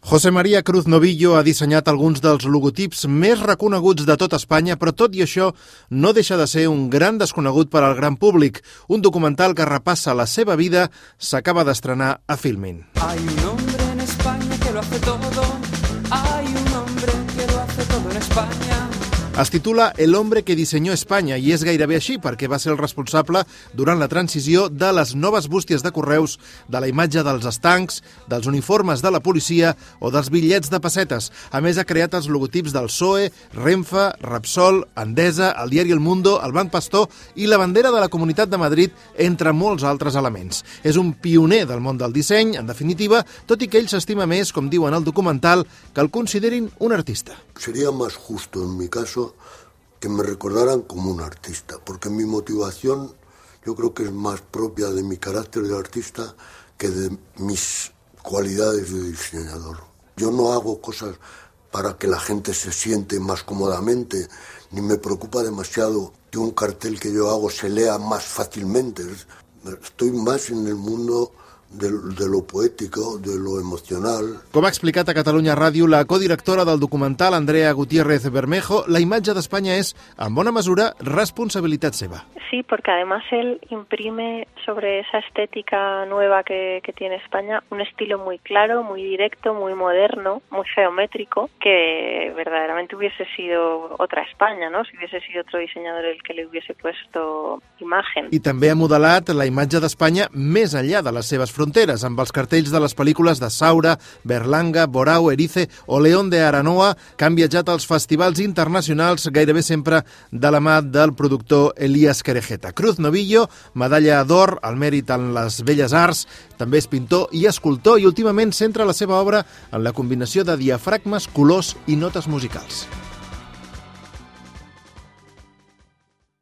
José María Cruz Novillo ha dissenyat alguns dels logotips més reconeguts de tot Espanya, però tot i això no deixa de ser un gran desconegut per al gran públic. Un documental que repassa la seva vida s'acaba d'estrenar a Filmin. Hay un hombre en España que lo hace todo. Hay un hombre que lo hace todo en España. Es titula El hombre que diseñó Espanya i és gairebé així perquè va ser el responsable durant la transició de les noves bústies de correus, de la imatge dels estancs, dels uniformes de la policia o dels bitllets de pessetes. A més, ha creat els logotips del PSOE, Renfe, Repsol, Endesa, el diari El Mundo, el Banc Pastor i la bandera de la Comunitat de Madrid, entre molts altres elements. És un pioner del món del disseny, en definitiva, tot i que ell s'estima més, com diuen al documental, que el considerin un artista. Sería más justo en mi caso que me recordaran como un artista, porque mi motivación yo creo que es más propia de mi carácter de artista que de mis cualidades de diseñador. Yo no hago cosas para que la gente se siente más cómodamente, ni me preocupa demasiado que un cartel que yo hago se lea más fácilmente. Estoy más en el mundo de lo poético, de lo emocional. Com ha explicat a Catalunya Ràdio la codirectora del documental, Andrea Gutiérrez Bermejo, la imatge d'Espanya és, en bona mesura, responsabilitat seva. Sí, porque además él imprime sobre esa estética nueva que tiene España un estilo muy claro, muy directo, muy moderno, muy geométrico, que verdaderamente hubiese sido otra España, ¿no? Si hubiese sido otro diseñador el que le hubiese puesto imagen. I també ha modelat la imatge d'Espanya més enllà de les seves fronteres, amb els cartells de les pel·lícules de Saura, Berlanga, Borao, Erice o León de Aranoa, que han viatjat als festivals internacionals gairebé sempre de la mà del productor Elías Querejeta. Cruz Novillo, medalla d'or al mèrit en les belles arts, també és pintor i escultor i últimament centra la seva obra en la combinació de diafragmes, colors i notes musicals.